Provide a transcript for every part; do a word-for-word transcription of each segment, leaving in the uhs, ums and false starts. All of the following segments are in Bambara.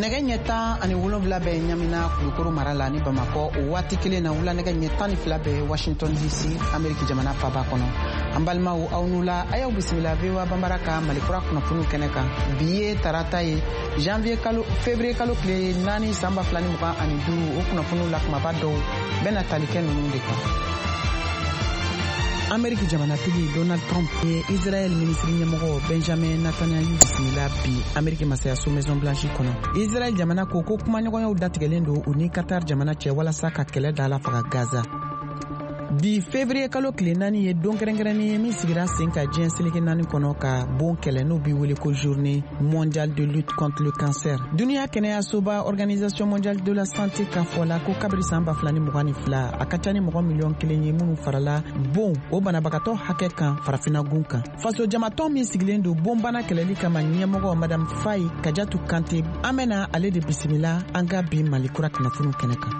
Nɛgɛ ɲɛ tan ani wolonwula bɛ Ɲamina, Kulukoro mara la, ni Bamakɔ. O waati kelen na, wula nɛgɛ ɲɛ tan ni fila bɛ Washington D C, Ameriki jamana faba kɔnɔ. An balimaw, aw n'u la, a y'aw bisimila V O A Banbara ka Malikura kunnafoniw kɛnɛ kan. Bi ye tarata ye, janvier kalo, février kalo tile naani, san ba fila ni mugan ani duuru. O kunnafoniw la kumaba dɔw bɛna tali kɛ ninnu de kan: Ameriki jamanatigi Donald Trump ye Israel minisiri ɲɛmɔgɔ Benjamin Netanyahu bisimila bi Ameriki masayaso Maison Blanche kɔnɔ. Israel jamana ko ko kumaɲɔgɔnyaw datigɛlen don u ni Qatar jamana cɛ walasa ka kɛlɛ da la faga Gaza. Bi, février kalo tile naani, ye don kɛrɛnkɛrɛnnen ye min sigira sen ka diɲɛ seleke naani kɔnɔ ka bon kɛlɛ, n'o bi wele ko Journée mondiale de lutte contre le cancer. Duniɲa kɛnɛyasoba, Organisation mondiale de la santé, ka fɔ la ko kabiri saan ba fila ni mugan ni fila, a ka ca ni mɔgɔ miliyɔn kelen ye minnu farala bon o banabagatɔ hakɛ kan farafinagun kan. Faso jamatɔn min sigilen don bonbana kɛlɛli kama ɲɛmɔgɔ, Madame Fayi Kajatu Kante, an bena ale de bisimila an ka bi Malikura kunnafoniw kɛnɛ kan.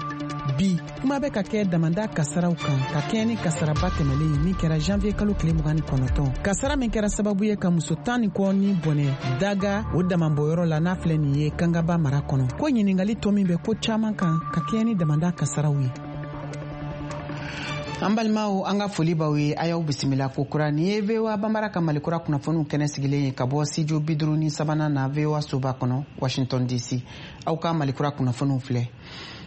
Bi, kuma bɛ ka kɛ damanda kasaraw kan ka kɛɲɛ ni kasaraba tɛmɛlen min kɛra janvier kalo tile mugan ni kɔnɔntɔn, kasara min kɛra sababu ye ka muso tan ni kɔ ni bɔnɛ daga o damabɔyɔrɔ la, n'a filɛ nin ye Kangaba mara kɔnɔ. Ko ɲiningali tɔ min bɛ ko caaman kan ka kɛɲɛ ni damanda kasaraw ye. An balimaw, an ka foli b'aw ye, a y'aw bisimila kokura. Nin ye V O A Banbara ka Malikura kunnafoniw kɛnɛ sigilen ye ka bɔ studio bi duuru ni sabanan na, V O A soba kɔnɔ, Washington D C. Aw ka Malikura kunnafoniw filɛ.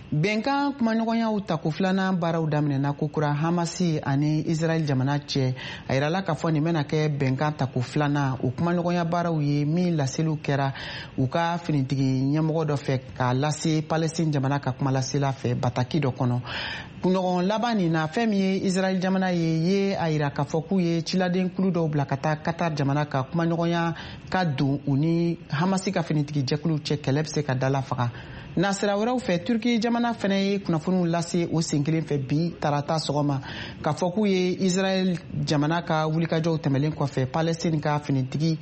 Bɛnkan kumaɲɔgɔnyaw tako filanan baaraw daminɛna kokura Hamasi ani Israɛl jamana cɛ. A yirala k'a fɔ nin bɛna kɛ bɛnkan tako filanan o kumaɲɔgɔnya baaraw ye, min laseliw kɛra u ka finitigi ɲɛmɔgɔ dɔ fɛ k'a lase Palestine jamana ka kumalasela fɛ bataki dɔ kɔnɔ. Kunɲɔgɔn laban nin na, fɛn min ye Israɛl jamana ye ye a yira k'a fɔ k'u ye ciladen kulu dɔw bila ka taa Qatar jamana ka kumaɲɔgɔnya ka don u ni Hamasi ka finitigi jɛkuluw cɛ, kɛlɛ bɛ se ka dala faga. Nasira wɛrɛw fɛ, Turki jamana fɛnɛ ye kunnafoniw lase o sen kelen fɛ bi tarata sɔgɔma k'a fɔ k'u ye Israɛl jamana ka wulikajɔw tɛmɛlen kɔfɛ, Palestine ka finitigi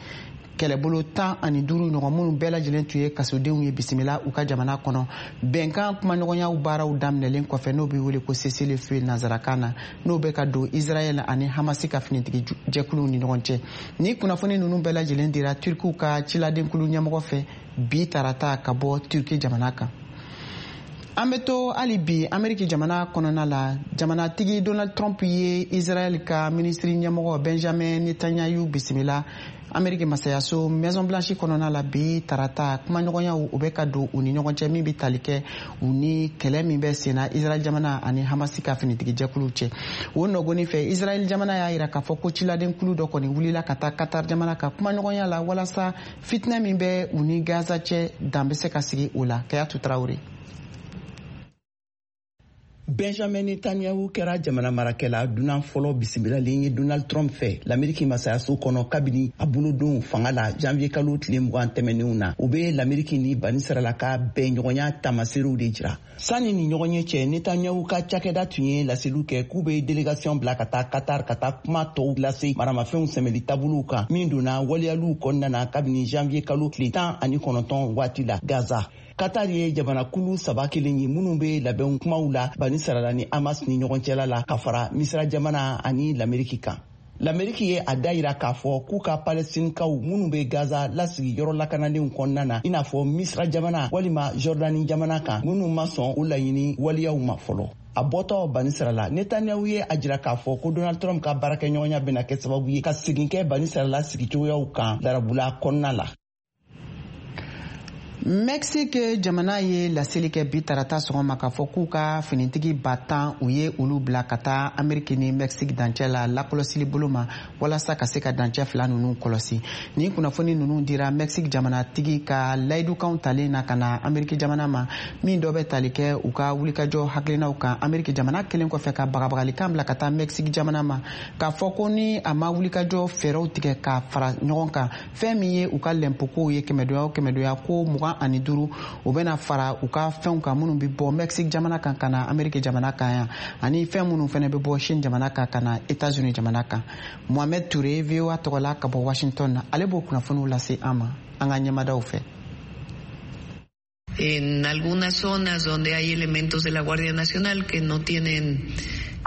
kɛlɛbolo tan ani duuru ɲɔgɔn, minnu bɛɛ lajɛlen tun ye kasodenw ye, bisimila u ka jamana kɔnɔ bɛnkan kumaɲɔgɔnyaw baaraw daminɛlen kɔfɛ, n'o bɛ wele ko cessez-le-feu nanzarakan na, n'o bɛ ka don Israɛl ani Hamasi ka finitigi jɛkuluw ni ɲɔgɔn cɛ. Ni kunnafoni ninnu bɛɛ lajɛlen dira Turkiw ka ciladenkulu ɲɛmɔgɔ fɛ bi tarata ka bɔ Turki jamana kan. An bɛ to hali bi Ameriki jamana kɔnɔna la. Jamanatigi Donald Trump ye Israɛl ka minisiri ɲɛmɔgɔ Benjamin Netanyahu bisimila Ameriki masayaso Maison Blanche kɔnɔna la bi tarata. Kumaɲɔgɔnyaw o bɛ ka don u ni ɲɔgɔn cɛ min bɛ tali kɛ u ni kɛlɛ min bɛ senna Israɛl jamana ani Hamasi ka finitigi jɛkuluw cɛ. O nɔgɔni fɛ, Israɛl jamana y'a yira k'a fɔ ko ciladenkulu dɔ kɔni wulila ka taa Qatar jamana ka kumaɲɔgɔnya la walasa fitinɛ min bɛ u ni Gaza cɛ, dan bɛ se ka sigi o la. Kayatu Tarawele. Benjamin Netanyahu kɛra jamana marakɛla dunan fɔlɔ bisimilalen ye Donald Trump fɛ Lameriki masayaso kɔnɔ kabini a bolodon fanga la janvier kalo tile mugan tɛmɛnenw na. O be Lameriki ni Banisirala ka bɛnɲɔgɔnya tamaserew de jira. Sani ni ɲɔgɔn ye cɛ, Netanyahu ka cakɛda tun ye laseliw kɛ k'u be délégation bila ka taa Qatar ka taa kuma tɔw lase maramafɛnw sɛmɛli taabolow kan, min donna waleyaliw kɔnɔna na kabini janvier kalo tile tan ani kɔnɔntɔn waati la Gaza. Qatar ye jamanakulu saba kelen ye minnu be labɛn kumaw la Banisirala ni Hamas ni ɲɔgɔn cɛla la, ka fara Misira jamana ani Lameriki kan. Lameriki ye a da yira k'a fɔ k'u ka Palestinikaw minnu be Gaza lasigi yɔrɔ lakananenw kɔnɔna na, i n'a fɔ Misira jamana walima Jɔrdani jamana kan, minnu ma sɔn o laɲini waleyaw ma fɔlɔ. A bɔtɔ Banisirala, Netanyahu ye a jira k'a fɔ ko Donald Trump ka baarakɛɲɔgɔnya bena kɛ sababu ye ka segin kɛ Banisirala sigicogoyaw kan darabula kɔnɔna la. Mexique jamana ye laseli kɛ bi tarata sɔgɔma k'a fɔ k'u ka finitigi ba tan, u ye olu bila ka taa Ameriki ni Mexique dancɛ la lakɔlɔsili bolo ma walasa ka se ka dancɛ fila ninnu kɔlɔsi. Ni kunnafoni ninnu dira Mexique jamanatigi ka layidukanw talen na ka na Ameriki jamana ma, min dɔ bɛ tali kɛ u ka wulikajɔ hakilinaw kan. Ameriki jamana kelen kɔfɛ ka bagabagalikan bila ka taa Mexique jamana ma k'a fɔ ko ni a ma wulikajɔ fɛɛrɛw tigɛ ka fara ɲɔgɔn kan, fɛn min ye u ka lɛnpokow ye, kɛmɛdoya o kɛmɛdoya ko mugan ani duuru, o bɛna fara u ka fɛnw kan minnu bɛ bɔ Mexique jamana kan ka na Ameriki jamana kan yan, ani fɛn minnu fɛnɛ bɛ bɔ Chine jamana kan ka na États-Unis jamana kan. Mohamed Touré, V O A tɔgɔ la ka bɔ Washington na, ale b'o kunnafoniw lase an ma an ka ɲɛmadaw fɛ. En algunas zonas donde hay elementos de la Guardia Nacional que no tienen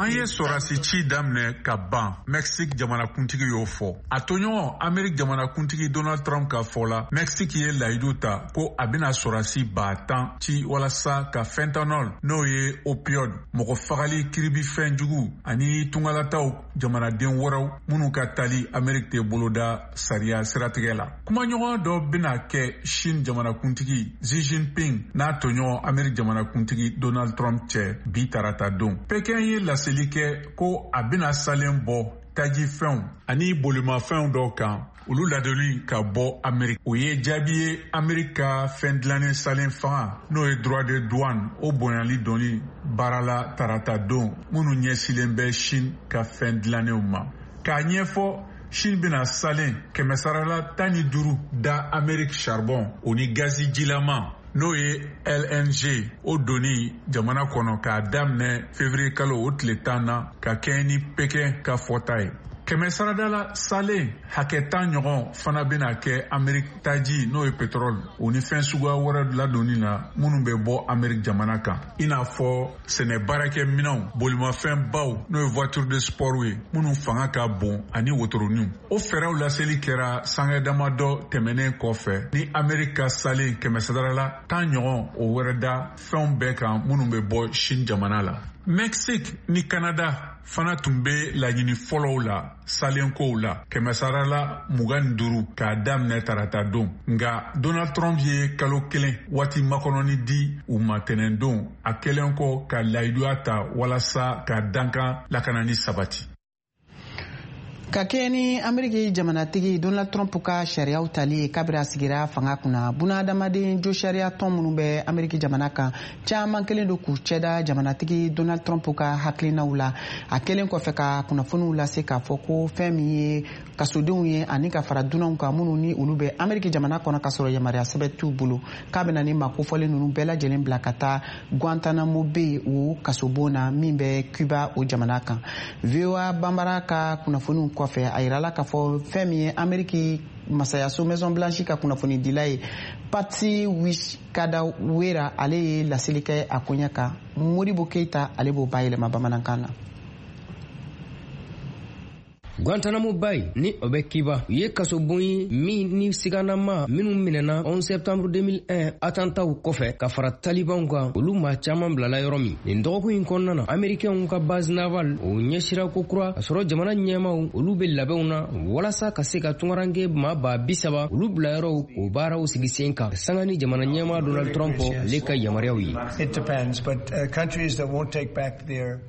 An ye sɔrɔdasi ci daminɛ ka ban, Mexique jamanakuntigi y'o fɔ. A tɔɲɔgɔn Amerique jamanakuntigi Donald Trump ka fɔ la, Mexique ye layidu ta ko a bɛna sɔrɔdasi ba tan ci walasa ka fentanyl, n'o ye opioid, mɔgɔ fagali kiribifɛn jugu, ani tungalataw jamanaden wɛrɛw minnu ka tali Amerique tɛ boloda sariya siratigɛ la. Kumaɲɔgɔn dɔ bɛna kɛ Chine jamanakuntigi Xi Jinping n'a tɔɲɔgɔn Amerique jamanakuntigi Donald Trump cɛ bi tarata don. Pekin ye laseli kɛ ko a bɛna salen bɔ tajifɛnw ani bolimafɛnw dɔw kan, olu ladonni ka bɔ Amerique. O ye jaabi ye Amerique ka fɛn dilannen salen fanga, n'o ye droit de douane, o bonyali donni baara la tarata don, minnu ɲɛsilen bɛ Chine ka fɛn dilannenw ma. K'a ɲɛfɔ, Chine bɛna salen kɛmɛ sarala tan ni duuru da Amerique charbon o ni gazi jilama, n'o ye L N G, o donni jamana kɔnɔ k'a daminɛ février kalo o tile tan na, ka kɛɲɛ ni Pekin ka fɔta ye. Kɛmɛ sarada la salen hakɛ tan ɲɔgɔn fana bɛna kɛ Amerique taji, n'o ye pétrole, o ni fɛn suguya wɛrɛ ladonni na minnu bɛ bɔ Amerique jamana kan, i n'a fɔ sɛnɛ baarakɛminɛnw, bolimafɛnbaw, n'o ye voiture de sport ye minnu fanga ka bon, ani wotoroninw. O fɛɛrɛw laseli kɛra sanga damadɔ tɛmɛnen kɔfɛ ni Amerique ka salen kɛmɛ sarada la tan ɲɔgɔn o wɛrɛ da fɛnw bɛɛ kan minnu bɛ bɔ Chine jamana la. Mexique ni Canada fana tun bɛ laɲini fɔlɔw la salenkow la, kɛmɛ sara la mugan ni duuru k'a daminɛ tarata don. Nka Donald Trump ye kalo kelen waati makɔnɔni di u ma tɛnɛndon, a kɛlen kɔ ka layiduya ta walasa ka dankan lakanani sabati. Ka kɛɲɛ ni Ameriki jamanatigi Donald Trump ka sariyaw tali ye kabiri a sigira fanga kunna, bunadamaden jo sariya tɔn minnu bɛ Ameriki jamana kan, caman kelen don k'u cɛda jamanatigi Donald Trump ka hakilinaw la, a kɛlen kɔfɛ ka kunnafoniw lase k'a fɔ ko fɛn min ye kasodenw ye ani ka fara dunanw kan minnu ni olu bɛ Ameriki jamana kɔnɔ ka sɔrɔ yamaruya sɛbɛn t'u bolo, k'a bɛna ni maa kofɔlen ninnu bɛɛ lajɛlen bila ka taa Guantanamo Bay, o kasobon na min bɛ Cuba, o jamana kan. V O A Banbara ka kunnafoniw kɔfɛ, a yirala k'a fɔ fɛn min ye Ameriki masayaso Maison Blanche ka kunnafonidila ye, Patsy Widakuswara, ale ye laseli kɛ a koɲɛ kan. Modibo Keita, ale b'o bayɛlɛma bamanankan na. Guantanamo Bay ni o bɛ Kiba, u ye kasobon ye min ni siganama minnu minɛna onze septembre deux mille un attentatw kɔfɛ ka fara talibanw kan, olu maa caaman bilala yɔrɔ min. Nin dɔgɔkun in kɔnɔna na, Amerikɛnw ka base navale o ɲɛsira ko kura ka sɔrɔ jamana ɲɛmaw olu be labɛnw na walasa ka se ka tungaranke maa ba bi saba olu bila yɔrɔw k'o baaraw sigi sen kan, sanga ni jamana ɲɛma Donald Trump ale ka yamaruyaw ye.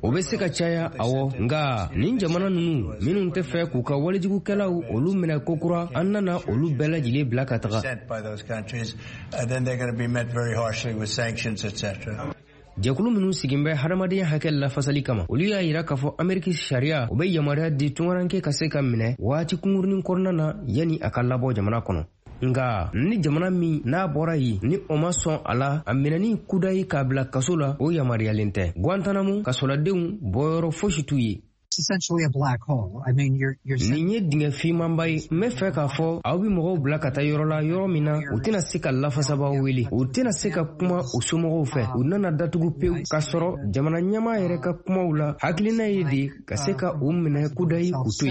O be se ka caya, awɔ, nga nin jamana nunu minnu tɛ fɛ k'u ka walijugukɛlaw olu minɛ kokura, an nana olu bɛɛ lajɛlen bila ka taga. Jɛkulu minnu sigin bɛ hadamadenya hakɛ lafasali kama, olu y'a yira k'a fɔ Ameriki sariya o bɛ yamaruya di tungaranke ka se ka minɛ waati kunkurunin kɔnɔna na yanni a ka labɔ jamana kɔnɔ. Nga ni jamana min n'a bɔra yen ni o ma sɔn a la, a minɛni kudayi k'a bila kaso la, o yamaruyalen tɛ. Guantanamo kasoladenw bɔyɔrɔ fosi t'u ye. Nin ye dingɛ fimanba ye. N bɛ fɛ k'a fɔ, aw bɛ mɔgɔw bila ka taa yɔrɔ la, yɔrɔ min na u tɛna se ka lafasabaw wele, u tɛna se ka kuma u somɔgɔw fɛ, u nana datugu pewu. K'a sɔrɔ jamana ɲɛmaa yɛrɛ ka kumaw la, hakilina ye de ka se ka u minɛ kudayi k'u to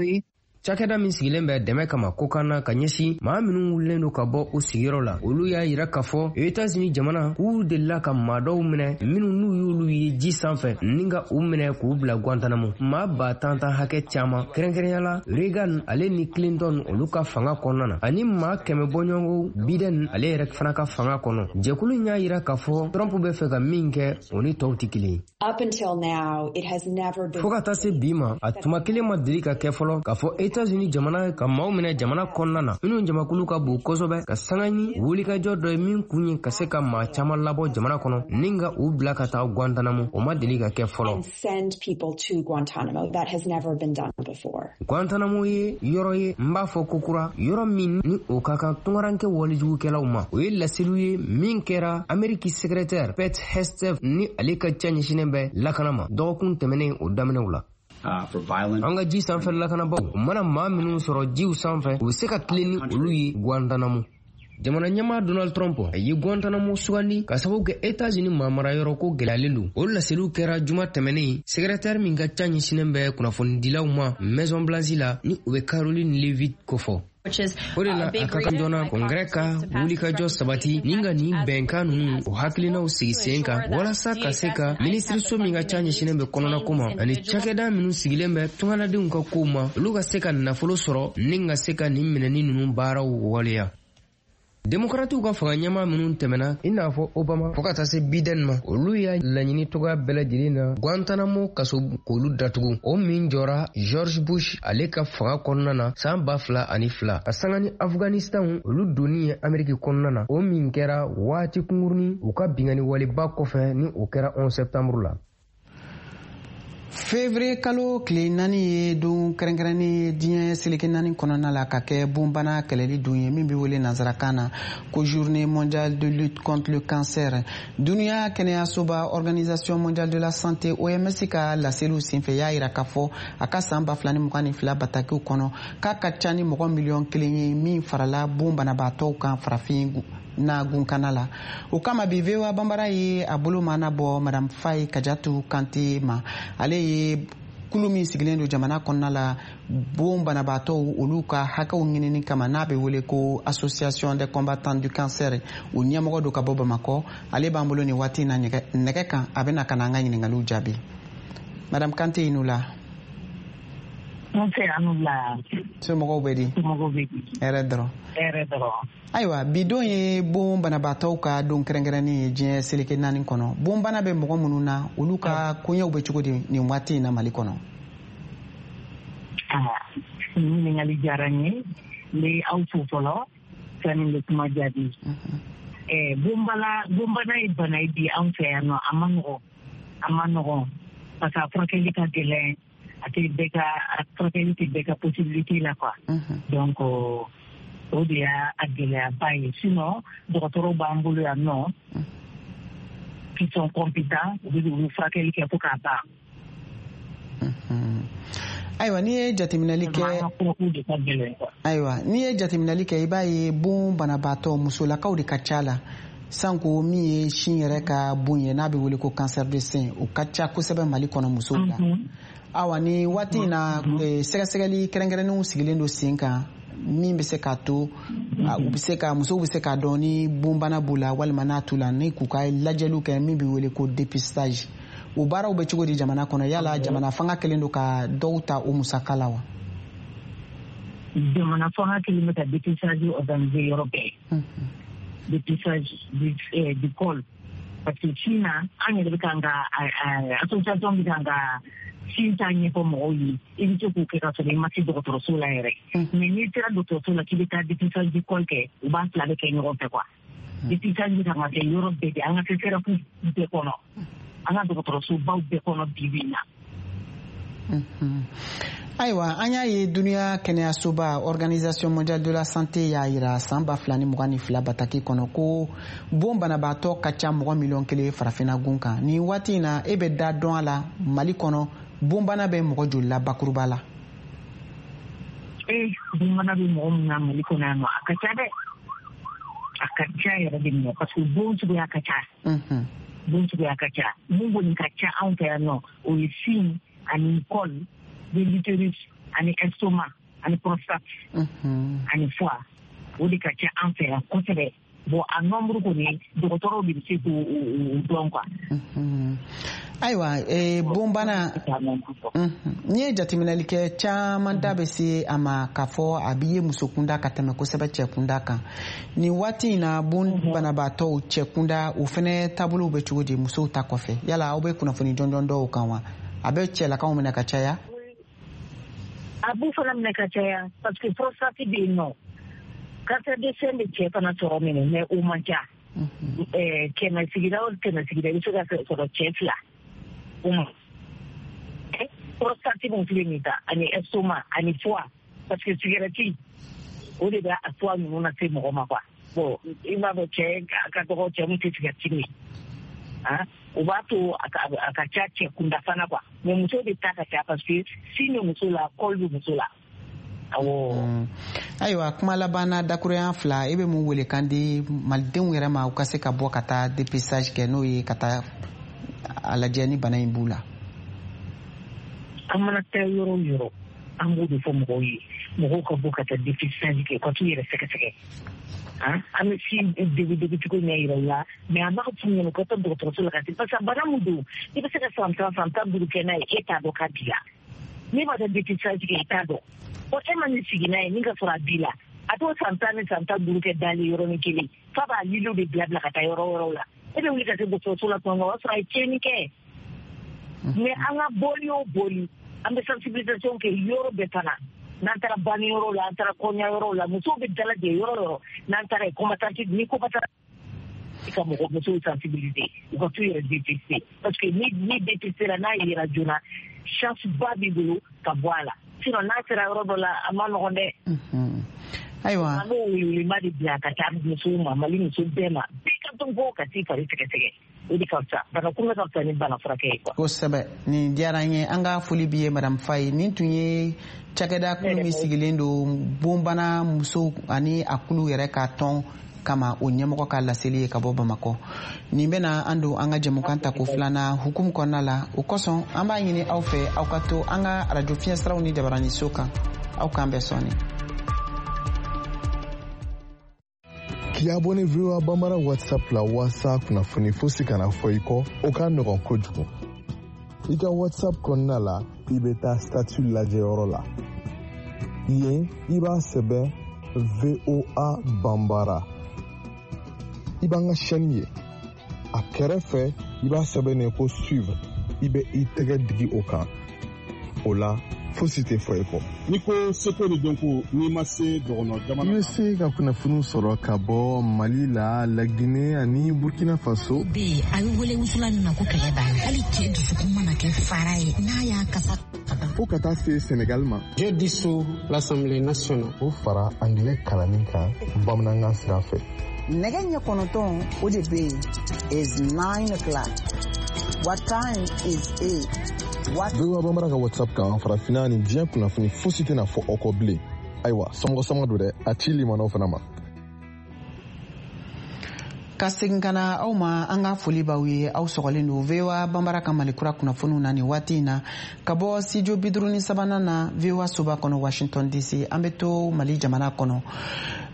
yen. Cakɛda min sigilen bɛ dɛmɛ kama ko kan na ka ɲɛsin maa minnu wulilen don ka bɔ u sigiyɔrɔ la, olu y'a yira k'a fɔ Etazini jamana k'u delila ka maa dɔw minɛ minnu n'u y'olu ye ji sanfɛ ni ka u minɛ k'u bila Guantanamo, maa ba tan tan hakɛ caman, kɛrɛnkɛrɛnya la Reagan ale ni Clinton olu ka fanga kɔnɔna na, ani maa kɛmɛ bɔɲɔgɔnko Biden ale yɛrɛ fana ka fanga kɔnɔ. Jɛkulu in y'a yira k'a fɔ Trump bɛ fɛ ka min kɛ, o ni tɔw tɛ kelen ye. Fɔɔ ka taa se bi ma, a tuma kelen ma deli ka kɛ fɔlɔ k'a fɔ Etats-Unis jamana ka maaw minɛ jamana kɔnɔna na minnu jamakulu ka bon kosɛbɛ, ka sanga ni wulikajɔ dɔ ye min kun ye ka se ka maa caaman labɔ jamana kɔnɔ ni ka u bila ka taa Guantanamo, o ma deli ka kɛ fɔlɔ. Guantanamo ye yɔrɔ ye, n b'a fɔ kokura, yɔrɔ min ni o ka kan tungaranke walijugukɛlaw ma. O ye laseliw ye min kɛra Ameriki secrétaire Pete Hegseth ni ale ka ca ɲɛsinen bɛ lakana ma dɔgɔkun tɛmɛnen o daminɛw la. An ka ji sanfɛ lakanabaw, u mana maa minnu sɔrɔ jiw sanfɛ, u bɛ se ka tilen ni olu ye Guantanamo. Jamana ɲɛmaa Donald Trump a ye Guantanamo sugandi ka sababu kɛ États-Unis mamarayɔrɔ ko gɛlɛyalen don. O laseliw kɛra juma tɛmɛnen, secrétaire min ka ca ɲɛsinnen bɛ kunnafonidilaw ma Maison Blanche la, ni o bɛ Caroline Leavitt kofɔ. O de la a ka kan joona Congrès ka wulikajɔ sabati ni ka nin bɛnkan ninnu o hakilinaw sigi sen kan, walasa ka se ka minisiriso min ka ca ɲɛsinnen bɛ kɔnɔnako ma ani cakɛda minnu sigilen bɛ tungaladenw ka kow ma, olu ka se ka nafolo sɔrɔ ni ka se ka nin minɛni ninnu baaraw waleya. Demokratiw ka fanga ɲɛmaa minnu tɛmɛna, i n'a fɔ Obama fo ka taa se Biden ma, olu y'a laɲini cogoya bɛɛ lajɛlen na Guantanamo kaso k'olu datugu, o min jɔra George Bush ale ka fanga kɔnɔna na san ba fila ani fila, ka sanga ni Afghanistan olu donni ye Ameriki kɔnɔna na, o min kɛra waati kunkurunin u ka binkanni waleba kɔfɛ, ni o kɛra onze septembre la. Février kalo tile naani ye don kɛrɛnkɛrɛnnen ye diɲɛ seleke naani kɔnɔna la, ka kɛ bonbana kɛlɛli don ye min bɛ wele nansarakan na ko Journée mondiale de lutte contre le cancer. Duniya kɛnɛyasoba, Organisation mondiale de la santé, O M S ka laseliw senfɛ, y'a yira k'a fɔ a ka san ba fila ni mugan ni fila batakiw kɔnɔ, k'a ka ca ni mɔgɔ miliyɔn kelen ye min farala bon banabaatɔw kan farafin na gunkana la. O kama bi, V O A Banbara ye a bolo mana bɔ Madame Faye Kajatu Kante ma. Ale ye kulu min sigilen don jamana kɔnɔna la bon banabaatɔw olu ka hakɛw ɲinini kama, n'a bɛ wele ko Association des combattants du cancer, o ɲɛmɔgɔ don ka bɔ Bamakɔ. Ale b'an bolo nin waati in na nɛgɛ kan, a bɛna ka na an ka ɲininkaliw jaabi. Madame Kante, i n'u la. Nse, an la. Somɔgɔw bɛ di? Somɔgɔw bɛ di? Hɛrɛ dɔrɔn. Hɛrɛ dɔrɔn. Ayiwa, bi don ye bon banabaatɔw ka don kɛrɛnkɛrɛnnen ye diɲɛ seleke naani kɔnɔ. Bonbana bɛ mɔgɔ minnu na, olu ka koɲɛw bɛ cogo di nin waati in na Mali kɔnɔ? Ɲininkali diyara n ye. N bɛ aw fo fɔlɔ sani n bɛ kuma jaabi. Bonbana bonbana ye bana ye bi anw fɛ yan nɔ, a ma nɔgɔn, a ma nɔgɔn, parce que a furakɛli ka gɛlɛn, a tɛ bɛɛ ka, a furakɛli tɛ bɛɛ ka possibilité la quoi. Donc o de y'a gɛlɛyaba ye. Sinon dɔgɔtɔrɔw b'an bolo yan nɔ qui sont compétents, u bɛ olu furakɛli kɛ fo k'a ban. Ayiwa, n'i ye jateminɛli kɛ, ayiwa, n'i ye jateminɛli kɛ, i b'a ye bon banabaatɔ musolakaw de ka ca la, sanko min ye sin yɛrɛ ka bon ye, n'a bɛ wele ko cancer de sein, o ka ca kosɛbɛ Mali kɔnɔ musow la. Awa, ni waati in na, sɛgɛsɛgɛli kɛrɛnkɛrɛnnenw sigilen don sen kan min bɛ se k'a to u bɛ se ka musow bɛ se k'a dɔn ni bonbana b'u la walima n'a t'u la, ni k'u ka lajɛliw kɛ min bɛ wele ko dépistage, o baaraw bɛ cogo di jamana kɔnɔ? Yala jamana fanga kɛlen don ka dɔw ta o musaka la wa? Jamana fanga kɛlen bɛ ka dépistage organiser yɔrɔ bɛɛ, dépistage du, eh, du col, parce que sin na, an yɛrɛ bɛ kan ka, association bɛ kan ka sin ta ɲɛfɔ mɔgɔw ye. I bɛ se k'o kɛ ka sɔrɔ i ma se dɔgɔtɔrɔso la yɛrɛ, mais n'i sera dɔgɔtɔrɔso la k'i bɛ taa dépistage du col kɛ, u b'a fila bɛ kɛ ɲɔgɔn fɛ quoi. Dépistage bɛ kan ka kɛ yɔrɔ bɛɛ de, an ka C S R F bɛɛ kɔnɔ, an ka dɔgɔtɔrɔsobaw bɛɛ kɔnɔ bi bi in na. Ayiwa, an y'a ye duniya kɛnɛyasoba, Organisation mondiale de la santé, y'a yira san ba fila ni mugan ni fila bataki kɔnɔ ko bon banabaatɔ ka ca mɔgɔ miliyɔn kelen farafinna gun kan. Nin waati in na, e bɛ da dɔn a la, Mali kɔnɔ bonbana bɛ mɔgɔ joli la bakuruba la? Ee, bonbana bɛ mɔgɔ min na Mali kɔnɔ yan nɔ, a ka ca dɛ, a ka ca yɛrɛ de minɛ, parce que bon suguya ka ca, bon suguya ka ca. Mun kɔni ka ca anw fɛ yan nɔ, o ye sin ani col de l'utérus ani estomac ani prostate ani foie, o de ka ca an fɛ yan kosɛbɛ. Bon, a nombre kɔni, dɔgɔtɔrɔw de bɛ se k'o dɔn quoi. Ayiwa, bonbana, n'i ye jateminɛli kɛ, caman da bɛ se a ma k'a fɔ a bɛ ye muso kunda ka tɛmɛ kosɛbɛ cɛ kunda kan. Nin waati in na, bon banabaatɔw cɛ kunda, o fɛnɛ taabolow bɛ cogo di musow ta kɔfɛ? Yala aw bɛ kunnafoni jɔnjɔn dɔw kan wa? A bɛ cɛlakaw minɛ ka caya? A b'u fana minɛ ka caya, parce que prostate bɛ yen nɔ, cancer de sein bɛ cɛ fana sɔrɔ minɛ, mais o man ca. Kɛmɛ sigida o kɛmɛ sigida, i bɛ se ka sɔrɔ cɛ fila o ma. Prostate mun filɛ nin ta, ani estomac ani foie, parce que cigarette o de bɛ a foie ninnu lase mɔgɔ ma quoi. Bon, i b'a dɔn cɛ ka dɔgɔ cɛ mun tɛ cigarette min, ah, o b'a to a ka ca cɛ kunda fana quoi. Mais muso de ta ka ca, parce que sin bɛ muso la, col bɛ muso la. Awɔ. Ayiwa, kuma laban na, dakurunya fila, e bɛ mun wele kan di malidenw yɛrɛ ma u ka se ka bɔ ka taa dépistage kɛ, n'o ye ka taa a lajɛ ni bana in b'u la? An mana taa yɔrɔ o yɔrɔ, an b'o de fɔ mɔgɔw ye, mɔgɔw ka bɔ ka taa dépistage kɛ, ka t'u yɛrɛ sɛgɛsɛgɛ. An bɛ si degu degu cogo ɲɛ yira u la, mais an b'a f'u ɲɛna u ka taa dɔgɔtɔrɔso la ka se, parce que bana min don, i bɛ se ka san tan san tan duuru kɛ n'a ye, e t'a dɔn k'a b'i la. N'i ma taa dépistage kɛ, i t'a dɔn. Ɔ, e ma nin sigi n'a ye ni ka sɔrɔ a b'i la, a t'o san tan ni san tan duuru kɛ dalen yɔrɔnin kelen f'a b'a liliw de bila bila ka taa yɔrɔ wɛrɛw la. E bɛ wuli ka se dɔgɔtɔrɔso la tuma min, o b'a sɔrɔ a ye tiɲɛni kɛ. Mais an ka bɔli o bɔli, an bɛ sensibilisation kɛ yɔrɔ bɛɛ fana. N'an taara banni yɔrɔ la, an taara kɔɲɔ yɔrɔ la, musow bɛ dalajɛ yɔrɔ yɔrɔ, n'an taara yen, combattant ni combattant ka mɔgɔ musow sensibiliser u ka t'u yɛrɛ dépister, parce que ni ni dépister la, n'a yera joona, chance ba b'i bolo ka bɔ a la. Sinon n'a sera yɔrɔ dɔ la, a ma nɔgɔn dɛ. Ayiwa, an b'o welewelema de bila ka taa musow ma, Mali muso bɛɛ ma, bɛɛ ka dɔn bɔ ka t'i fari sɛgɛsɛgɛ, o de ka fisa. Bana kunbɛ ka fisa ni bana furakɛ ye quoi. Kosɛbɛ, nin diyara n ye. An ka foli b'i ye, madame Faye. Nin tun ye cakɛda kulu min sigilen don bonbana musow ani a kulu yɛrɛ ka tɔn kama, o ɲɛmɔgɔ ka laseli ye ka bɔ Bamakɔ. Nin bɛna an don an ka jɛmukan tako filanan hukumu kɔnɔna la. O kosɔn, an b'a ɲini aw fɛ, aw ka to an ka arajo fiɲɛsiraw ni jabaraniso kan. Aw k'an bɛn sɔɔni. K'i abonné V O A Bambara WhatsApp la waasa kunnafoni fosi kana fɔ i kɔ, o ka nɔgɔn kojugu. I ka WhatsApp kɔnɔna la, i bɛ taa statut lajɛyɔrɔ la. Yen, i b'a sɛbɛn V O A Bambara. I b'an ka chaîne ye. A kɛrɛfɛ, i b'a sɛbɛn ko suivre. I bɛ i tɛgɛ digi o kan. O la, fosi tɛ fɔ i kɔ. N'i ko seko ni dɔnko, n'i ma se dɔgɔnɔ jamana I bɛ se ka kunnafoniw sɔrɔ ka bɔ Mali la, Laginɛ ani Burkina Faso. Bɛ yen, a bɛ wele wusulan min ma ko kɛlɛ b'a la, hali cɛ dusukun mana kɛ fara ye, n'a y'a kasa fo ka taa se Senegal ma. Je dissous l'Assemblée nationale. O fara angilɛ kalanni kan bamanankan sira fɛ. Nɛgɛ ɲɛ kɔnɔntɔn, o de bɛ yen, is nine o'clock. What time is it? What V O A Bambara ka WhatsApp kan, farafinna ni diɲɛ kunnafoni fosi tɛna fɔ aw kɔ bilen. Ayiwa, somɔgɔ sama don dɛ, a ci limanaw fana ma. Ka segin ka na aw ma, an ka foli b'aw ye. Aw sɔgɔlen don V O A Bambara ka Malikura kunnafoniw na nin waati in na ka bɔ studio bi duuru ni sabanan na, V O A soba kɔnɔ, Washington D C. An bɛ to Mali jamana kɔnɔ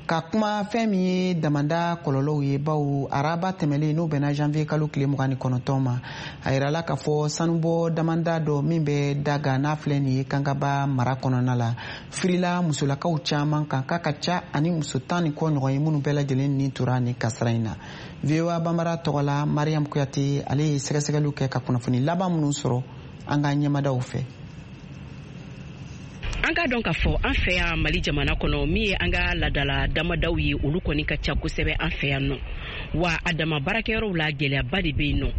ka kuma fɛn min ye damanda kɔlɔlɔw ye, bawo araba tɛmɛlen, n'o bɛnna janvier kalo tile mugan ni kɔnɔntɔn ma, a yirala k'a fɔ sanubɔ damanda dɔ min bɛ Daga, n'a filɛ nin ye Kankaba mara kɔnɔna la, firila musolakaw caman kan, k'a ka ca ani muso tan ni kɔ ɲɔgɔn ye minnu bɛɛ lajɛlen ni tora nin kasara in na. V O A Bambara tɔgɔ la, Mariam Kuyate, ale ye sɛgɛsɛgɛliw kɛ ka kunnafoni laban minnu sɔrɔ an ka ɲɛmadaw fɛ. An k'a dɔn k'a fɔ an fɛ yan Mali jamana kɔnɔ, min ye an ka ladala damadaw ye, olu kɔni ka ca kosɛbɛ an fɛ yan nɔ. Wa a dama baarakɛyɔrɔw la, gɛlɛyaba de bɛ yen nɔ,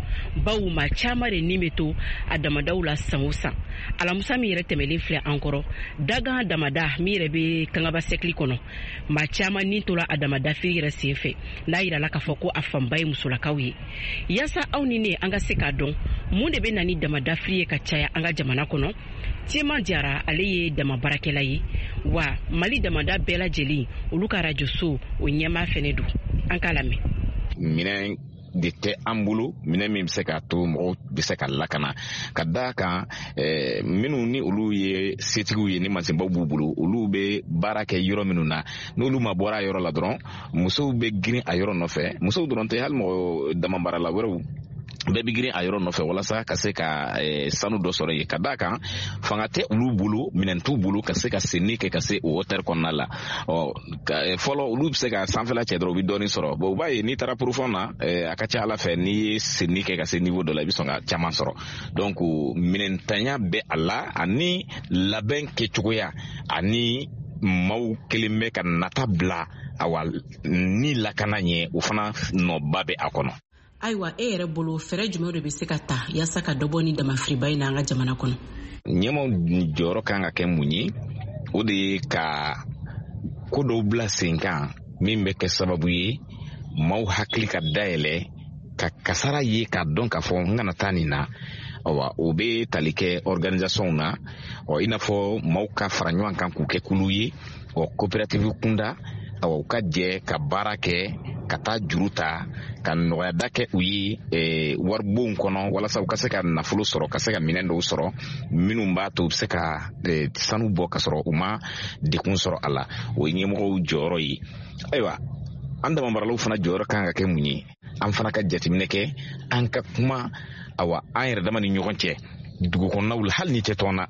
bawo maa caman de ni bɛ to a damadaw la san o san. Alamusa min yɛrɛ tɛmɛlen filɛ an kɔrɔ, Dagan damada min yɛrɛ bɛ Kangaba sɛkili kɔnɔ, maa caman ni tora a damada fili yɛrɛ sen fɛ, n'a yirala k'a fɔ ko a fanba ye musolakaw ye. Yaasa aw ni ne an ka se k'a dɔn mun de bɛ na ni damada fili ye ka caya an ka jamana kɔnɔ, Tiema Jara, ale ye dama baarakɛla ye, wa Mali damada bɛɛ lajɛlen olu ka arajoso o ɲɛmaa fɛnɛ don. An k'a lamɛn. Minɛn de tɛ an bolo, minɛn min bɛ se k'a to mɔgɔw bɛ se ka lakana, ka d'a kan eh, minnu ni olu ye setigiw ye, ni mansinbaw b'u bolo, olu bɛ baara kɛ yɔrɔ minnu na, n'olu ma bɔra a yɔrɔ la dɔrɔn, musow bɛ girin a yɔrɔ nɔfɛ. Musow dɔrɔn tɛ, hali mɔgɔ dama baarala wɛrɛw bɛɛ bɛ girin a yɔrɔ nɔfɛ walasa ka se ka eh, sanu dɔ sɔrɔ yen, ka d'a kan fanga tɛ olu bolo, minɛn t'u bolo ka se ka senni kɛ ka se o hauteur kɔnɔna la. Ɔ, fɔlɔ, olu bɛ se ka sanfɛla cɛ dɔrɔn, u bɛ dɔɔnin sɔrɔ. Bon, u b'a ye n'i taara profond na, eh, a ka ca ala fɛ, n'i ye senni kɛ ka se niveau dɔ la, i bɛ sɔn ka caman sɔrɔ. Donc minɛntanya bɛ a la, ani labɛn kɛcogoya, ani maaw kelen bɛ ka nata bila awa ni lakana ɲɛ, o fana nɔba bɛ a kɔnɔ. Ayiwa, e yɛrɛ bolo, fɛɛrɛ jumɛn de bɛ se ka ta yaasa ka dɔ bɔ ni damafiriba in na an ka jamana kɔnɔ? Ɲɛmaw jɔyɔrɔ kan ka kɛ mun ye? O de ye ka ko dɔw bila sen kan min bɛ kɛ sababu ye maaw hakili ka dayɛlɛ ka kasara ye, k'a dɔn k'a fɔ n kana taa nin na. Awa o bɛ tali kɛ organisation na, ɔ i n'a fɔ maaw ka fara ɲɔgɔn kan k'u kɛ kulu ye, ɔ coopérative kunda, awa u ka jɛ ka baara kɛ, ka taa juru ta, ka nɔgɔyada kɛ u ye eh, waribonw kɔnɔ walasa u ka se ka nafolo sɔrɔ, ka se ka minɛn dɔw sɔrɔ minnu b'a to u bɛ se ka eh, sanu bɔ ka sɔrɔ u ma degun sɔrɔ a la. O ye ɲɛmɔgɔw jɔyɔrɔ ye. Ayiwa, an damamaralaw fana jɔyɔrɔ kan ka kɛ mun ye? An fana ka jateminɛ kɛ, an ka kuma, awa an yɛrɛ dama ni ɲɔgɔn cɛ dugu kɔnɔnaw la, hali ni tɛ tɔn na,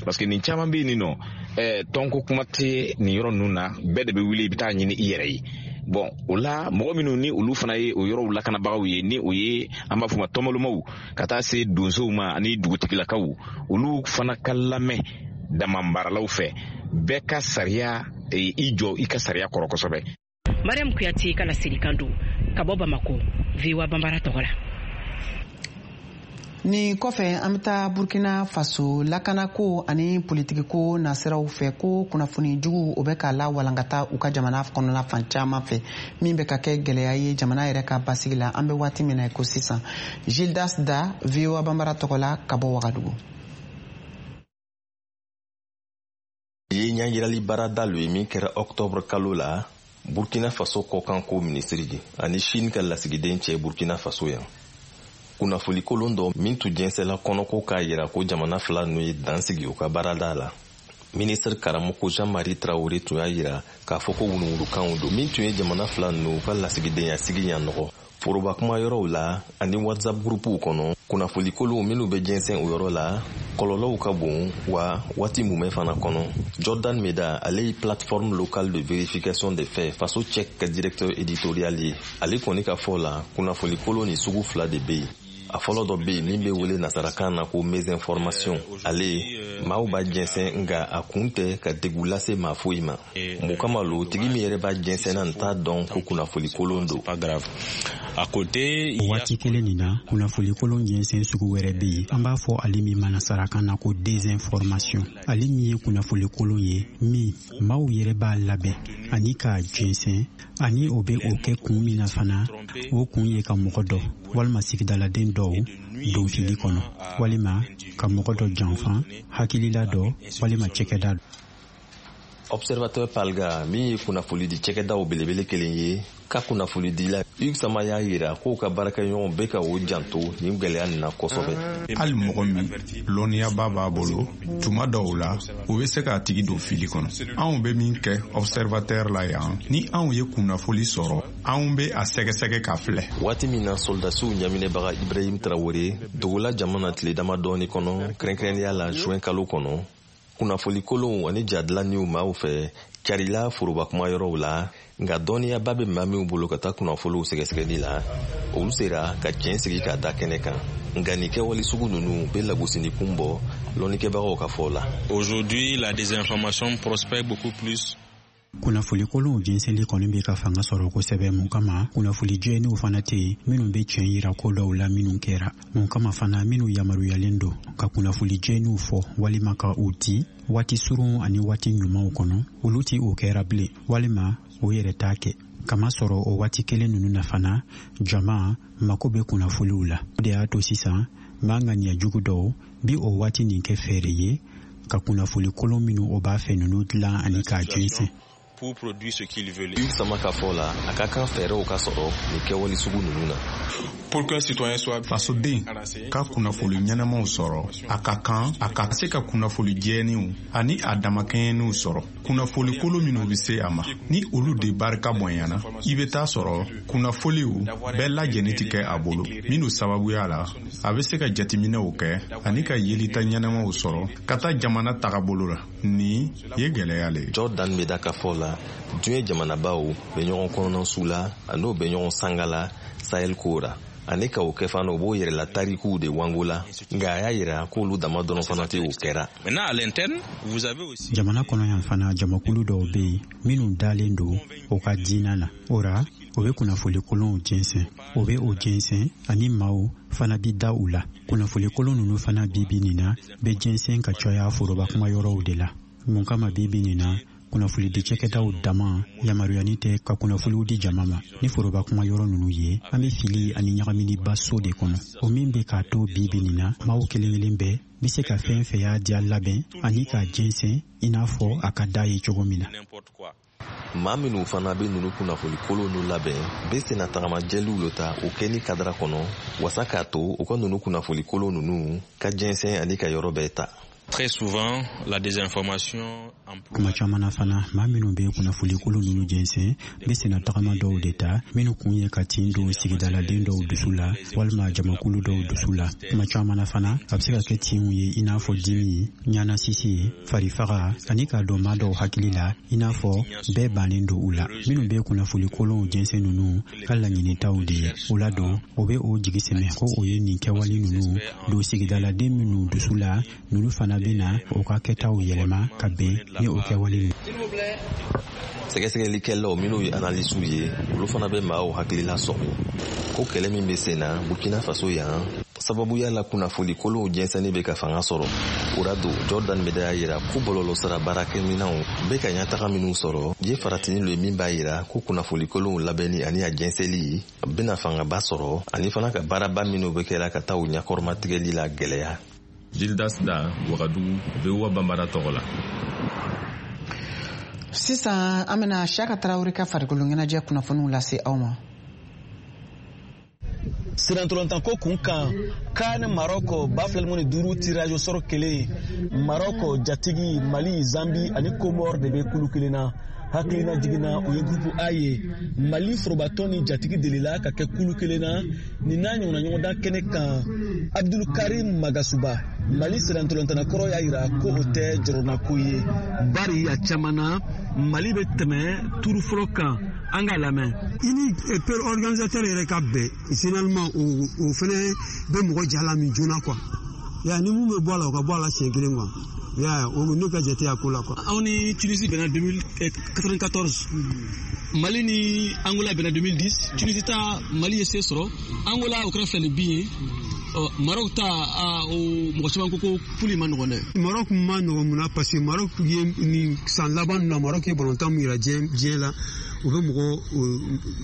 parce que nin caman bɛ yen nɔ, eh, tɔnko kuma tɛ nin yɔrɔ ninnu na, bɛɛ de bɛ wuli i bɛ taa ɲini i yɛrɛ ye. Bon, o la mɔgɔ minnu ni olu fana ye o yɔrɔw lakanabagaw ye, ni o ye an b'a fɔ ma tɔnbɔlɔmaw, ka taa se donsow ma ani dugutigilakaw, olu fana ka lamɛn damamaralaw fɛ. Bɛɛ ka sariya i jɔ i ka sariya kɔrɔ kosɛbɛ. Mariam Kuyate ka laselikan don ka bɔ Bamako, V O A Bambara tɔgɔ la. Nin kɔfɛ an bɛ taa Burkina Faso lakanako ani politikiko nasiraw fɛ ko kunnafoni jugu o bɛ ka lawalankata u ka jamana kɔnɔna fan caman fɛ, min bɛ ka kɛ gɛlɛya ye jamana yɛrɛ ka basigi la an bɛ waati min na i ko sisan. Gildas Da, V O A Bambara tɔgɔ la ka bɔ Wagadugu. Ye ɲɛjirali baarada lo ye min kɛra octobre kalo la Burkina Faso kɔkanko minisiri ani Chine ka lasigiden cɛ Burkina Faso yan. Kunnafoni kolon dɔ min tun jɛnsɛla kɔnɔko k'a yira ko jamana fila ninnu ye dan sigi u ka baarada la. Minisiri karamɔgɔ Jean-Marie Traoré tun y'a yira k'a fɔ ko wuruwurukanw don min tun ye jamana fila ninnu ka lasigidenya sigi ɲa nɔgɔ. Foroba kuma yɔrɔw la ani WhatsApp gurupuw kɔnɔ, kunnafoni kolonw minnu bɛ jɛnsɛn o yɔrɔ la, kɔlɔlɔw ka bon wa waati mumɛ fana kɔnɔ. Jordan Meda, ale ye plateforme locale de vérification des faits Faso Check ka directeur éditorial ye. Ale kɔni ka fɔ la, kunnafoni kolon ni sugu fila de bɛ yen. A fɔlɔ dɔ bɛ yen min bɛ wele nasarakan na ko mésinformation. Ale maaw b'a jɛnsɛn nka a kun tɛ ka degun lase maa foyi ma. Mun kama lo tigi min yɛrɛ b'a jɛnsɛn na t'a dɔn ko kunnafoni kolon don. O waati kelen nin na, kunnafoni kolon jɛnsɛn sugu wɛrɛ bɛ yen, an b'a fɔ ale min ma nasarakan na ko désinformation. Ale min ye kunnafoni kolon ye min maaw yɛrɛ b'a labɛn ani k'a jɛnsɛn, ani o bɛ o kɛ kun min na fana, o kun ye ka mɔgɔ dɔ walima sigidaladen dɔw don fili kɔnɔ, walima ka mɔgɔ dɔ janfa, hakilila dɔ walima cɛkɛda dɔ. Observateur Palga min ye kunnafonidi cɛkɛdaw belebele kelen ye ka kunnafonidila Hugues Sama y'a yira k'o ka baarakɛɲɔgɔnw bɛ ka o janto nin gwɛlɛya nin na kosɛbɛ. Hali mɔgɔ min lɔnniyaba b'a bolo, tuma dɔw la o bɛ se k'a tigi don fili kɔnɔ. Anw bɛ min kɛ observateur la yan, ni anw ye kunnafoli sɔrɔ, anw bɛ a sɛgɛsɛgɛ k'a filɛ. Waati min na soldasiw ɲaminɛbaga Ibrahim Traoré dogola jamana tile damadɔɔni kɔnɔ, kɛrɛnkɛrɛnnenya la juin kalo kɔnɔ, kunnafoni kolonw ani jadilanniw maaw fɛ carila foroba kuma yɔrɔw la, nka dɔnniyaba bɛ maa minw bolo ka taa kunnafoniw sɛgɛsɛgɛli la, olu sera ka tiɲɛ sigi k'a da kɛnɛ kan. Nka nin kɛwale sugu ninnu bɛ lagosini kun bɔ lɔnnikɛbagaw ka fɔ la. Aujourd'hui, la désinformation prospère beaucoup plus. Kunnafoni kolonw jɛnsɛnli kɔni bɛ ka fanga sɔrɔ kosɛbɛ. Mun kama kunnafoni jɛlenw fana tɛ yen minnu bɛ tiɲɛ yira ko dɔw la minnu kɛra. Mun kama fana minnu yamaruyalen don ka kunnafoni jɛlenw fɔ walima ka u di waati surun ani waati ɲumanw kɔnɔ, olu ti o kɛra bilen walima o yɛrɛ t'a kɛ. Kamasɔrɔ o waati kelen ninnu na fana, jama mako bɛ kunnafoniw la. O de y'a to sisan maa ŋaniya jugu dɔw bi o waati nin kɛ fɛɛrɛ ye ka kunnafoni kolon minnu o b'a fɛ ninnu dilan ani k'a jɛnsɛn. Pour produire ce qu'ils veulent. Hugues Sama ka fɔ la, a ka kan fɛɛrɛw ka sɔrɔ nin kɛwale sugu ninnu na. Pour qu'un citoyen soit fasoden ka kunnafoni ɲɛnamaw sɔrɔ, a ka kan a ka se ka kunnafoni jɛlenw ani a damakɛɲɛnenw sɔrɔ. Kunnafoni kolon minnu bɛ se a ma, ni olu de barika bonyana, i bɛ taa sɔrɔ kunnafoniw bɛɛ lajɛlen tɛ kɛ a bolo, minnu sababuya la a bɛ se ka jateminɛw kɛ ani ka yelita ɲɛnamaw sɔrɔ ka taa jamana tagabolo la. Nin ye gɛlɛya le ye. Jordan Meda ka fɔ la, diɲɛ jamanabaw bɛ ɲɔgɔn kɔnɔna su la, an'o bɛ ɲɔgɔn sanga la Sahel ko ra. Ani ka o kɛ fana, o b'o yɛrɛla tarikuw de wango la, nka a y'a yira k'olu dama dɔrɔn fana tɛ o kɛra. Jamana kɔnɔ yan fana, jamakulu dɔw bɛ yen minnu dalen don o ka diinɛ na. O ra, o bɛ kunnafoni kolonw jɛnsɛn, o bɛ o jɛnsɛn ani maaw fana bi da u la. Kunnafoni kolon ninnu fana bi bi nin na bɛ jɛnsɛn ka caya foroba kuma yɔrɔw de la. Mun kama bi bi nin na Kunnafonidi cakɛdaw dama yamaruyani tɛ ka kunnafoniw di jama ma. Ni foroba kuma yɔrɔ ninnu ye, an bɛ fili ani ɲagaminiba so de kɔnɔ, o min bɛ k'a to bi bi nin na, maaw kelen kelen bɛɛ bɛ se ka fɛn fɛn y'a diya labɛn ani k'a jɛnsɛn i n'a fɔ a ka d'a ye cogo min na. Maa minnu fana bɛ ninnu kunnafoni kolon nu labɛn bɛ senna tagamajɛliw lo ta o kɛli kadara kɔnɔ wasa k'a to u ka ninnu kunnafoni kolon ninnu ka jɛnsɛn ani ka yɔrɔ bɛɛ ta. Très souvent, la désinformation. Kuma caman na fana, maa minnu bɛ kunnafoni kolon ninnu jɛnsɛn bɛ senna tagama dɔw de ta minnu kun ye ka tin don sigidaladen dɔw dusu la walima jamakulu dɔw dusu la. Kuma caman na fana, a bɛ se ka kɛ tinw ye i n'a fɔ dimi, ɲanasisi, farifaga ani k'a don maa dɔw hakili la i n'a fɔ bɛɛ bannen don u la. Minnu bɛ kunnafoni kolonw jɛnsɛn ninnu ka laɲinitaw de ye. O la don, o bɛ o jigi sɛmɛ ko o ye nin kɛwale ninnu don sigidaladen minnu dusu la, ninnu fana bɛ na o ka kɛtaw yɛlɛma ka bɛn ni o kɛwale ninnu. Sɛgɛsɛgɛlikɛlaw minnu ye analisiw ye, olu fana bɛ maaw hakilila sɔmi ko kɛlɛ min bɛ sen na Burkina Faso yan sababuya la kunnafoni kolonw jɛnsɛnni bɛ ka fanga sɔrɔ. O la don, Jordan Meda y'a yira ko bɔlɔlɔsira baarakɛminɛnw bɛ ka ɲɛtaga minnu sɔrɔ ye faratini lo ye min b'a yira ko kunnafoni kolonw labɛnni ani a jɛnsɛnli bɛna fangaba sɔrɔ ani fana ka baaraba minnu bɛ kɛra ka taa u ɲɛkɔrɔmatigɛli la gɛlɛya. Gildas Da, Wagadugu, V O A Bambara tɔgɔ la. Sisan an bɛna Siyaka Tarawele ka farikolo ɲɛnajɛ kunnafoniw lase aw ma. Sirantolontanko kun kan, CAN Maroc ba fila ni duuru tirage au sort kelen, Maroc jatigi Mali, Zambi ani Comore de bɛ kulu kelen na. Hakilina jiginna o ye groupe A ye. Mali forobatɔn ni jatigi delila ka kɛ kulu kelen na nin n'a ɲɔgɔnna ɲɔgɔndan kɛnɛ kan. Abdul Karim Magasuba, Mali sirantolontanna kɔrɔ y'a yira ko o tɛ jɔrɔnako ye, bari a caman na Mali bɛ tɛmɛ turu fɔlɔ kan. An k'a lamɛn. I ni père organisateur yɛrɛ ka bɛn finalement, o o fɛnɛ bɛ mɔgɔ jala min joona quoi. Ya ni mun bɛ bɔ a la, o ka bɔ a la siɲɛ kelen quoi. Ya o ne ka jate a ko la quoi. Anw ni Tunisie bɛnna deux mille quatre-vingt-quatorze, Mali ni Angola bɛnna deux mille dix. Tunisie ta Mali ye se sɔrɔ, Angola o kɛra fila ni bin ye. Maroc ta o mɔgɔ caman ko ko poule ma nɔgɔn dɛ. Maroc ma nɔgɔn mun na? Parce que Maroc ye nin san laban na, Maroc ye balontan min yira diɲɛ diɲɛ la, u bɛ mɔgɔ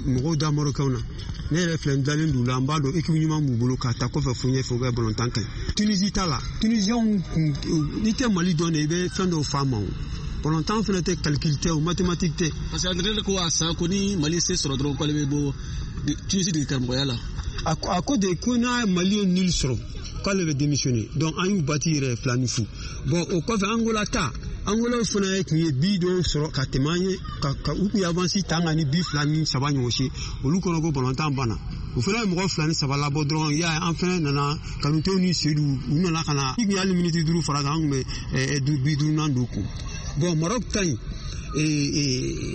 mɔgɔw da Marocains na. Ne yɛrɛ filɛ, n dalen d'u la, n b'a dɔn équipe ɲuman b'u bolo k'a ta kɔfɛ fo ɲɛfɛ, u ka balontan ka ɲi. Tunisie ta la, Tunisiens kun n'i tɛ Mali dɔn de, i bɛ fɛn dɔw f'a ma o. Balontan fana tɛ calcul tɛ o, mathématique tɛ. Parce que entraîneur ko a san ko ni Mali se sɔrɔ dɔrɔn k'ale bɛ bɔ Tunisie dege karamɔgɔya la. A ko de ko n'a Mali ye nul sɔrɔ k'ale bɛ démissionner, donc an y'u bati yɛrɛ fila ni fu. Bon, o kɔfɛ Angola ta, Angola fana tun ye bi dɔw sɔrɔ ka tɛmɛ an ye, ka ka u tun ye avance ta an kan ni bi fila ni saba ɲɔgɔn si. Olu kɔnɔ ko balontan banna, o fana ye mɔgɔ fila ni saba labɔ dɔrɔn. I y'a ye, an fana nana Kanutew ni Seydou, u nana ka na i tun y'hali miniti duuru fara kan, an tun bɛ bi duurunan don kun. Bon, Maroc ta in,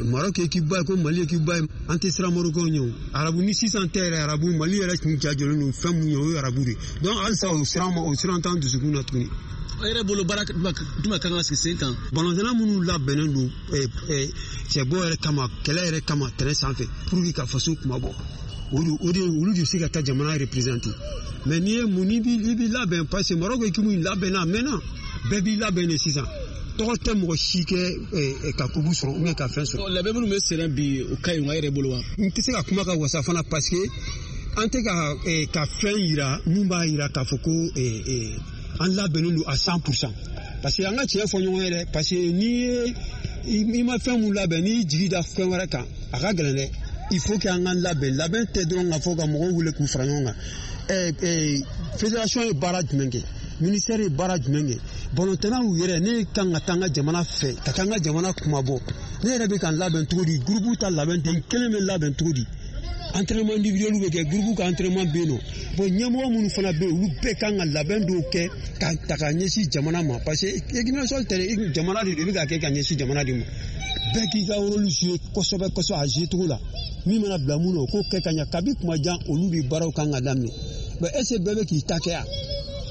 Maroc équipe ba ye ko Mali équipe ba ye, an tɛ siran Marocains ɲɛ o. Arabu ni sisan tɛ yɛrɛ, arabu Mali yɛrɛ tun ja jɔlen don fɛn mun ye, o ye arabu de. Donc halisa o siran o siran t'an dusukun na tuguni. E yɛrɛ bolo baara jumɛn kan ka sigi sen kan? Balontanna minnu labɛnnen don cɛbɔ yɛrɛ kama, kɛlɛ yɛrɛ kama terrain sanfɛ pour que ka faso kuma bɔ, o de olu de bɛ se ka taa jamana représenter. Mais n'i ye mun, n'i b'i labɛn, parce que Maroc équipe in labɛnna a mɛnna, bɛɛ b'i labɛn de sisan. Tɔgɔ tɛ mɔgɔ si kɛ ka kubu sɔrɔ ou bien ka fɛn sɔrɔ. Labɛn minnu bɛ senna bi, o ka ɲi wa e yɛrɛ bolo wa? N tɛ se ka kuma ka wasa fana, parce que an tɛ ka ka fɛn yira mun b'a yira k'a fɔ ko an labɛnnen don à cent pour cent. Parce que an ka tiɲɛ fɔ ɲɔgɔn ye dɛ, parce que n'i ye i ma fɛn mun labɛn, n'i jigi da fɛn wɛrɛ kan, a ka gɛlɛn dɛ. Il faut que an ka labɛn. Labɛn tɛ dɔrɔn k'a fɔ ka mɔgɔw wele k'u fara ɲɔgɔn kan. Fédération ye baara jumɛn kɛ? Ministère ye baara jumɛn kɛ? Balontannaw yɛrɛ, ne kan ka taa n ka jamana fɛ, ka taa n ka jamana kumabɔ, ne yɛrɛ bɛ ka n labɛn cogo di? Groupe ta labɛn tɛ, n kelen bɛ labɛn cogo di? Entraînement individuel bɛ kɛ, groupe ka entraînement bɛ yen nɔ. Bon, ɲɛmɔgɔ minnu fana bɛ yen, olu bɛɛ kan ka labɛn dɔw kɛ ka ta ka ɲɛsin jamana ma, parce que équipe nationale tɛ jamana de don, i bɛ ka kɛ ka ɲɛsin jamana de ma. Bɛɛ k'i ka rôle jouer kosɛbɛ kosɛbɛ a jouer cogo la. Min mana bila mun na, o k'o kɛ ka ɲɛ. Kabi kuma jan, olu de baaraw kan ka daminɛ. Mais est ce que bɛɛ bɛ k'i ta kɛ yan?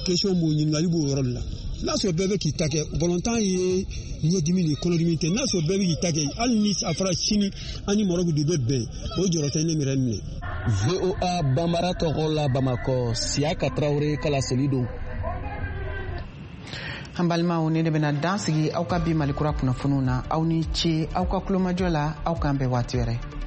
Question b'o ɲininkali b'o yɔrɔ de la. N'a sɔrɔ bɛɛ bɛ k'i ta kɛ, balontan ye ɲɛdimi de kɔnɔdimi tɛ. N'a sɔrɔ bɛɛ bɛ k'i ta kɛ, hali ni a fɔra sini an ni Maroc de bɛ bɛn, o jɔrɔ tɛ ne yɛrɛ minɛ. V O A Bambara tɔgɔ la Bamakɔ, Siyaka Tarawele ka laseli don. An balimaw, ne de bɛna dan sigi aw ka bi Malikura kunnafoniw na. Aw ni ce aw ka kulomajɔ la. Aw k'an bɛn waati wɛrɛ.